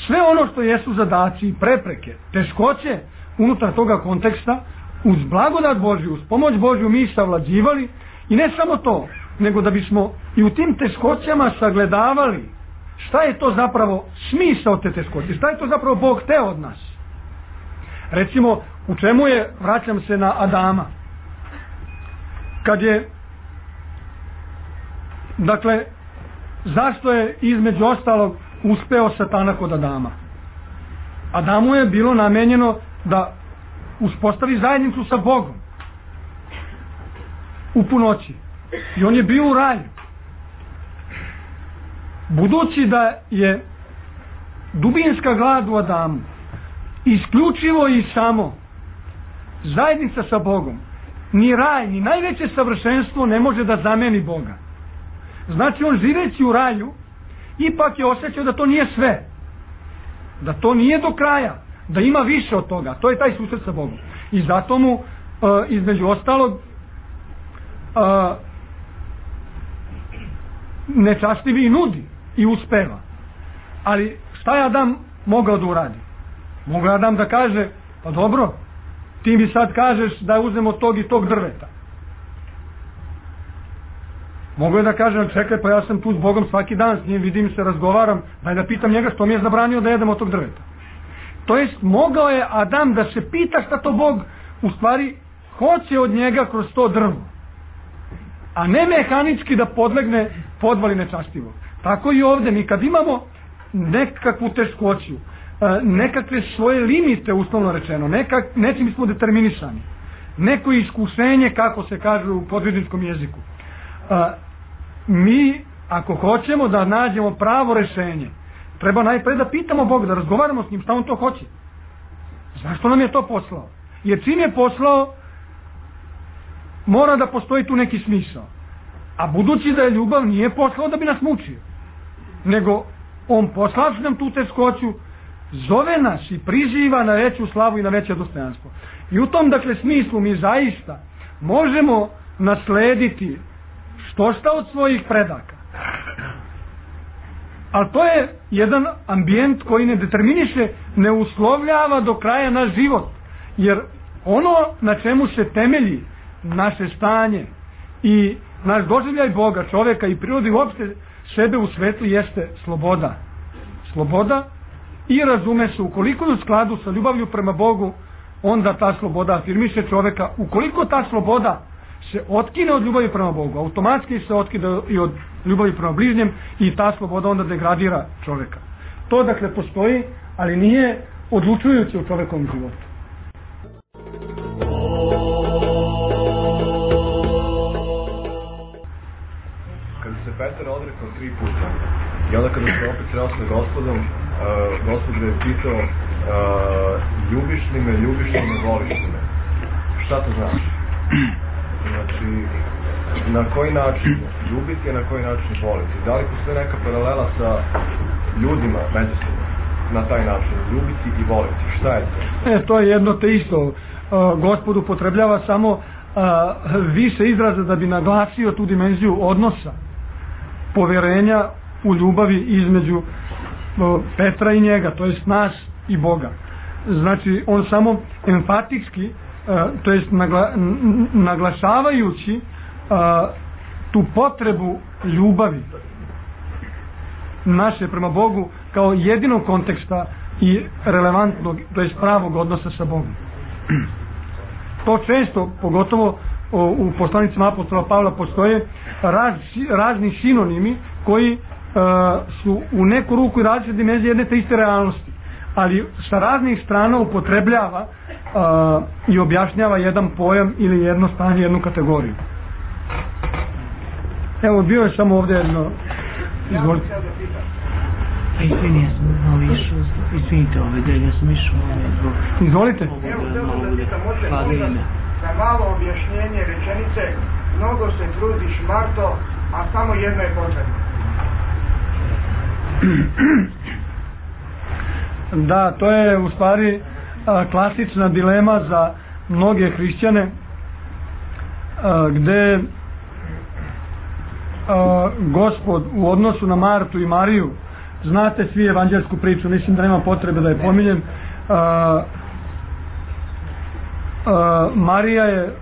sve ono što jesu zadaci i prepreke, teškoće unutar toga konteksta, uz blagodat Božju, uz pomoć Božju mi savlađivali, i ne samo to, nego da bismo i u tim teškoćama sagledavali šta je to zapravo smisao te teškoće, šta je to zapravo Bog hteo od nas. Recimo, u čemu je, vraćam se na Adama, kad je, dakle, zašto je između ostalog uspeo Satana kod Adama? Adamu je bilo namenjeno da uspostavi zajednicu sa Bogom u punoći, i on je bio u raju. Budući da je dubinska glad u Adamu isključivo i samo zajednica sa Bogom, ni raj, ni najveće savršenstvo ne može da zameni Boga. Znači, on živeći u raju ipak je osjećao da to nije sve, da to nije do kraja, da ima više od toga. To je taj susret sa Bogom. I zato mu, uh, između ostalog, uh, nečastivi i nudi i uspeva. Ali šta je Adam mogao da uradi? Mogao je Adam da kaže, pa dobro, ti mi sad kažeš da uzmemo tog i tog drveta. Mogu je da kažem, čekaj, pa ja sam tu s Bogom svaki dan, s njim vidim se, razgovaram, daj da pitam njega što mi je zabranio da jedemo tog drveta. To jest, mogao je Adam da se pita šta to Bog u stvari hoće od njega kroz to drvo, a ne mehanički da podlegne podvali nečastivog. Tako i ovdje, mi kad imamo nekakvu teškoću, nekakve svoje limite, uslovno rečeno, nekak, nečim smo determinisani, neko iskušenje, kako se kaže u podvižničkom jeziku, mi ako hoćemo da nađemo pravo rešenje, treba najpre da pitamo Boga, da razgovaramo s njim šta on to hoće, zašto nam je to poslao, jer čim je poslao mora da postoji tu neki smisao, a budući da je ljubav, nije poslao da bi nas mučio, nego on poslavši nam tu teškoću, zove nas i priziva na veću slavu i na veće dostojanstvo. I u tom dakle smislu mi zaista možemo naslediti što šta od svojih predaka. Ali to je jedan ambijent koji ne determiniše, ne uslovljava do kraja naš život. Jer ono na čemu se temelji naše stanje i naš doživljaj Boga, čovjeka i prirode uopšte sebe u svetu jeste sloboda. Sloboda i razume se, ukoliko je u skladu sa ljubavlju prema Bogu, onda ta sloboda afirmiše čovjeka. Ukoliko ta sloboda se otkine od ljubavi prema Bogu, automatski se otkine i od ljubavi prema bližnjem i ta sloboda onda degradira čovjeka. To dakle postoji, ali nije odlučujuće u čovjekovom životu. Kada se Petar odrekao tri puta i onda kada se opet sreo sa Gospodom, uh, Gospod ga je pitao uh, ljubiš li me, ljubiš li me, voliš li me? Šta to znači? Znači, na koji način ljubiti, a na koji način voliti? Da li postoji neka paralela sa ljudima međusobno na taj način? Ljubiti i voliti. Šta je to? E, to je jedno te isto. Uh, Gospod upotrebljava samo uh, više izraza da bi naglasio tu dimenziju odnosa, poverenja u ljubavi između uh, Petra i njega, to jest nas i Boga. Znači, on samo empatički, uh, to jest nagla, n- naglašavajući uh, tu potrebu ljubavi naše prema Bogu kao jedinog konteksta i relevantnog, to jest pravog odnosa sa Bogom. To često, pogotovo u poslanicima apostola Pavla, postoje raz, razni sinonimi koji uh, su u neku ruku i različite dimenzije jedne te iste realnosti, ali sa raznih strana upotrebljava uh, i objašnjava jedan pojam ili jedno stanje, jednu kategoriju. Evo, bio je samo ovdje jedno... Izvolite. Izvini, ja sam malo išao, izvinite ove delje, ja sam išao zbog... Izvolite. Evo, samo da pitam, možete možda za malo objašnjenje rečenice, mnogo se trudiš, Marto, a samo jedno je potrebno. Da, to je u stvari a, klasična dilema za mnoge hrišćane, a, gde a, Gospod u odnosu na Martu i Mariju, znate svi evanđelsku priču, mislim da nema potrebe da je pominjem, a, a, Marija je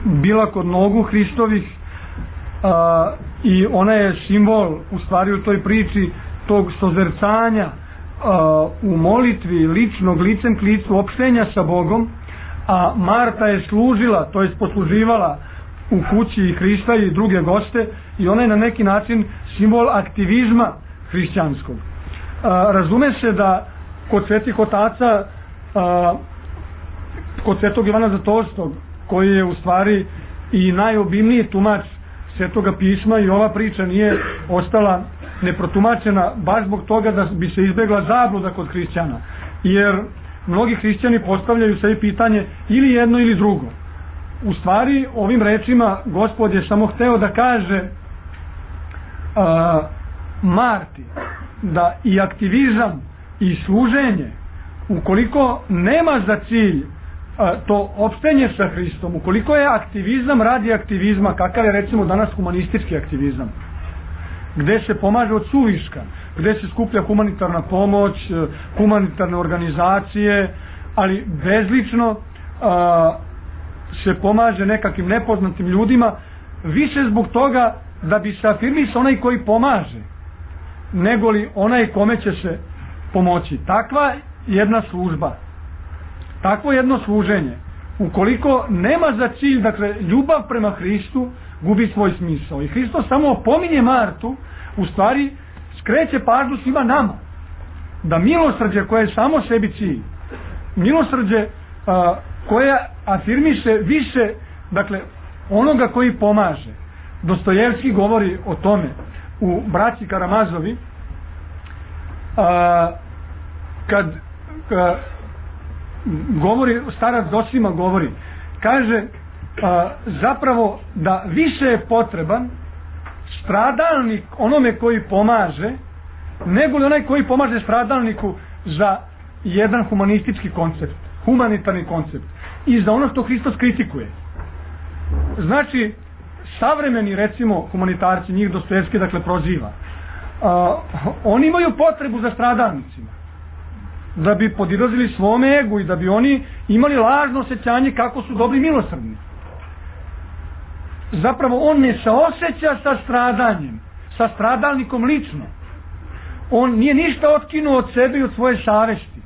bila kod nogu Hristovih a, i ona je simbol u stvari u toj priči tog sozercanja a, u molitvi ličnog, licem k licu, opštenja sa Bogom, a Marta je služila, to jest posluživala u kući Hrista i druge goste, i ona je na neki način simbol aktivizma hrišćanskog. A, razume se da kod svetih otaca, a, kod svetog Ivana Zlatourstkog, koji je u stvari i najobimniji tumač Svetoga pisma, i ova priča nije ostala neprotumačena baš zbog toga da bi se izbjegla zabluda kod hrišćana, jer mnogi hrišćani postavljaju sebi pitanje ili jedno ili drugo. U stvari ovim rečima Gospod je samo hteo da kaže a, Marti da i aktivizam i služenje, ukoliko nema za cilj a, to opštenje sa Hristom, ukoliko je aktivizam radi aktivizma, kakav je recimo danas humanistički aktivizam, gde se pomaže od suviška, gde se skuplja humanitarna pomoć, humanitarne organizacije, ali bezlično a, se pomaže nekakvim nepoznatim ljudima, više zbog toga da bi se afirmisao onaj koji pomaže, nego li onaj kome će se pomoći. Takva jedna služba, takvo jedno služenje ukoliko nema za cilj, dakle, ljubav prema Hristu, gubi svoj smisao. I Hristos samo opominje Martu, u stvari skreće pažnju svima nama, da milosrđe koje je samo sebi cilj, milosrđe a, koje afirmiše više, dakle, onoga koji pomaže. Dostojevski govori o tome u Braći Karamazovi, a, kad a, govori, starac Zosima govori, kaže a, zapravo da više je potreban stradalnik onome koji pomaže, nego li onaj koji pomaže stradalniku za jedan humanistički koncept, humanitarni koncept i za ono što Hristos kritikuje. Znači, savremeni, recimo, humanitarci, njih Dostojevski, dakle, proziva, a, oni imaju potrebu za stradalnicima, da bi podilazili svome egu i da bi oni imali lažno osjećanje kako su dobri milosrdni. Zapravo on ne saoseća sa stradanjem, sa stradalnikom lično. On nije ništa otkinuo od sebe i od svoje savesti,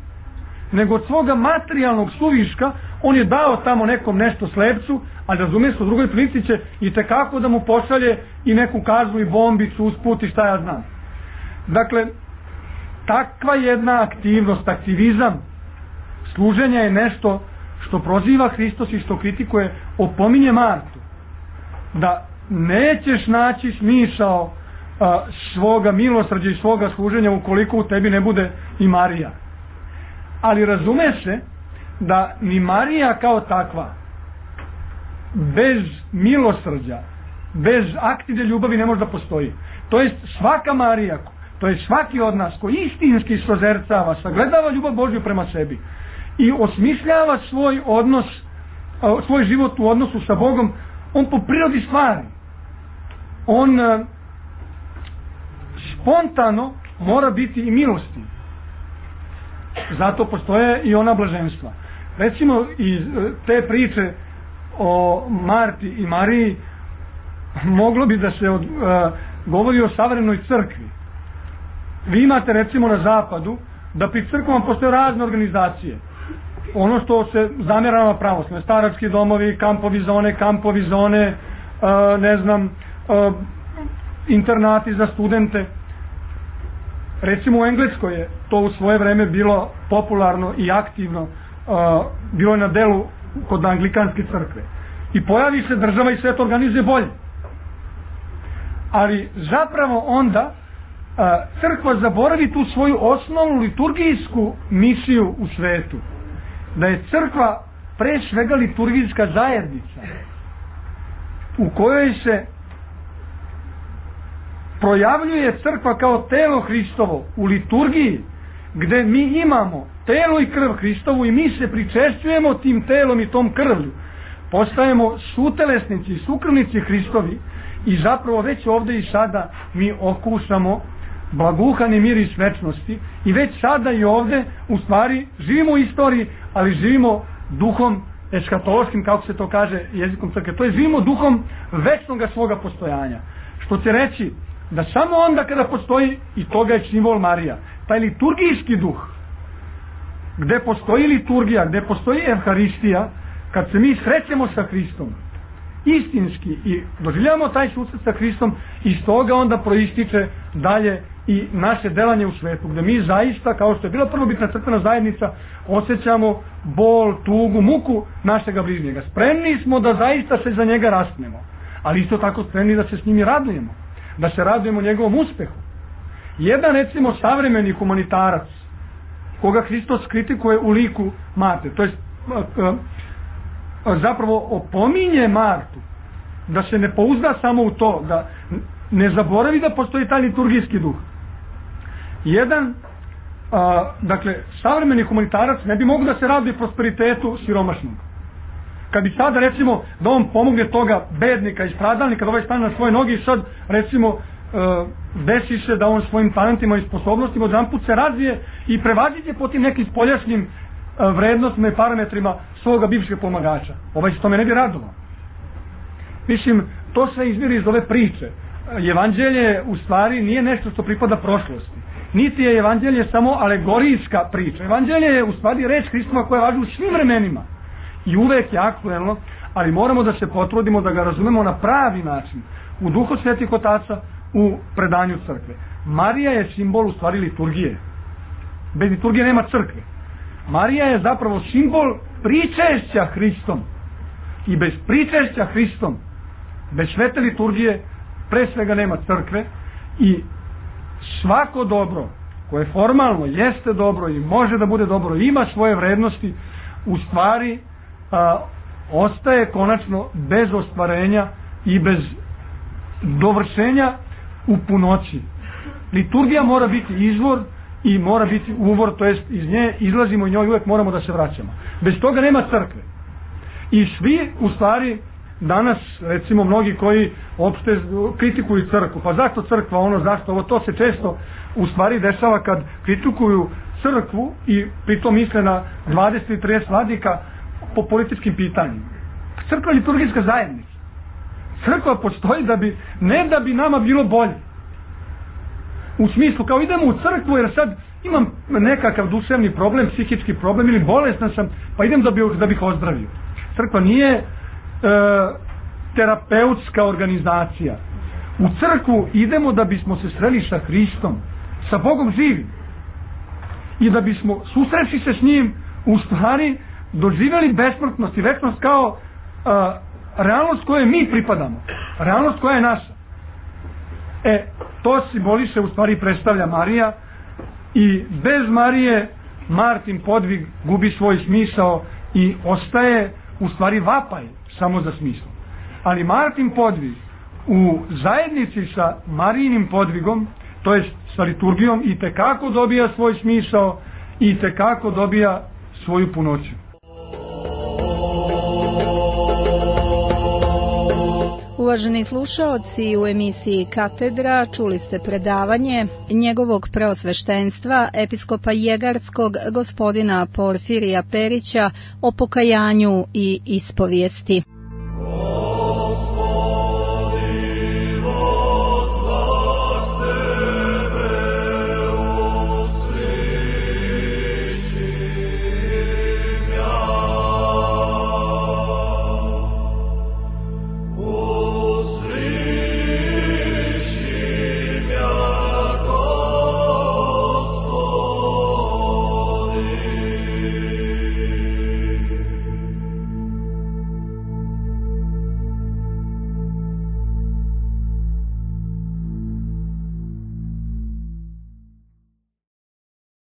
nego od svoga materijalnog suviška on je dao tamo nekom nešto slepcu, a razumije se u drugoj prilici će i tekako da mu pošalje i neku kaznu i bombicu usput i šta ja znam. Dakle, takva jedna aktivnost, aktivizam služenja je nešto što proziva Hristos i što kritikuje, opominje Martu da nećeš naći smisao a, svoga milosrđa i svoga služenja ukoliko u tebi ne bude i Marija. Ali razume se da ni Marija kao takva bez milosrđa, bez aktivne ljubavi ne može da postoji. To jest svaka Marija, to je svaki od nas koji istinski sozercava, sagledava ljubav Božju prema sebi i osmišljava svoj odnos, svoj život u odnosu sa Bogom, on po prirodi stvari, on spontano mora biti i milostiv. Zato postoje i ona blaženstva. Recimo, iz te priče o Marti i Mariji moglo bi da se od, uh, govori o savremenoj crkvi. Vi imate, recimo, na zapadu da pri crkvama postoje razne organizacije. Ono što se zamjera na pravoslavne, starački domovi, kampovi zone, kampovi zone, uh, ne znam, uh, internati za studente. Recimo u Engleskoj je to u svoje vreme bilo popularno i aktivno, uh, bilo je na delu kod anglikanske crkve. I pojavi se država i sve to organizuje bolje. Ali zapravo onda uh, crkva zaboravi tu svoju osnovnu liturgijsku misiju u svetu. Da je crkva pre svega liturgijska zajednica u kojoj se projavljuje crkva kao telo Hristovo u liturgiji, gde mi imamo telo i krv Hristovu i mi se pričešćujemo tim telom i tom krvlju. Postajemo sutelesnici i sukrvnici Hristovi i zapravo već ovde i sada mi okusamo blaguhani miris večnosti i već sada i ovde u stvari živimo u istoriji, ali živimo duhom eskatološkim, kako se to kaže jezikom crkve. To je živimo duhom večnog svoga postojanja. Što će reći da samo onda kada postoji, i toga je simbol Marija, taj liturgijski duh, gde postoji liturgija, gde postoji Evharistija, kad se mi srećemo sa Hristom, istinski i doživljavamo taj susret sa Hristom, iz toga onda proističe dalje i naše delanje u svetu, gde mi zaista, kao što je bila prvobitna crkvena zajednica, osjećamo bol, tugu, muku našega bližnjega. Spremni smo da zaista se za njega raspnemo, ali isto tako spremni da se s njim radujemo, da se radujemo njegovom uspehu. Jedan, recimo, savremeni humanitarac, koga Hristos kritikuje u liku Marte, to je zapravo opominje Martu da se ne pouzda samo u to, da ne zaboravi da postoji taj liturgijski duh. Jedan, a, dakle, savremeni humanitarac ne bi mogu da se raduje prosperitetu siromašnog. Kad bi sada, recimo, da on pomogne toga bednika i stradalnika, da ovaj stane na svoje noge i sad, recimo, e, desi se da on svojim talentima i sposobnostima odjedanput se razvije i prevaziđe po tim nekim spoljašnjim e, vrednostima i parametrima svoga bivšeg pomagača. Ovaj se tome ne bi radovao. Mislim, to sve izviri iz ove priče. Evanđelje u stvari nije nešto što pripada prošlosti. Niti je evanđelje samo alegorijska priča. Evanđelje je u stvari reč Hristova koja važi u svim vremenima. i uvek je aktuelno, ali moramo da se potrudimo da ga razumemo na pravi način, u duhu svetih otaca, u predanju crkve. Marija je simbol u stvari liturgije. Bez liturgije nema crkve. Marija je zapravo simbol pričešća Hristom. I bez pričešća Hristom, bez svete liturgije, pre svega nema crkve. I svako dobro koje formalno jeste dobro i može da bude dobro, ima svoje vrednosti, u stvari a, ostaje konačno bez ostvarenja i bez dovršenja u punoći. Liturgija mora biti izvor i mora biti uvor, to jest iz nje izlazimo i njoj uvek moramo da se vraćamo. Bez toga nema crkve. I svi u stvari danas, recimo mnogi koji opšte kritikuju crkvu, pa zašto crkva, ono, zašto ovo, to se često u stvari dešava kad kritikuju crkvu i pritom misle na dvadeset i trideset vladika po političkim pitanjima. Crkva je liturgijska zajednica. Crkva postoji da bi, ne da bi nama bilo bolje. U smislu, kao idemo u crkvu jer sad imam nekakav duševni problem, psihički problem ili bolestan sam, pa idem da, bi, da bih ozdravio. Crkva nije e, terapeutska organizacija. U crkvu idemo da bismo se sreli sa Hristom, sa Bogom živim. I da bismo susreći se s njim, u stvari doživjeli besmrtnost i večnost kao a, realnost koje mi pripadamo. Realnost koja je naša. E, to simboliše, u stvari predstavlja Marija, i bez Marije Martin podvig gubi svoj smisao i ostaje u stvari vapaj samo za smislom. Ali Martin podvig u zajednici sa Marijinim podvigom, to jest sa liturgijom, i tekako dobija svoj smisao i tekako dobija svoju punoću. Uvaženi slušaoci, u emisiji Katedra čuli ste predavanje njegovog preosveštenstva episkopa Jegarskog gospodina Porfirija Perića o pokajanju i ispovijesti.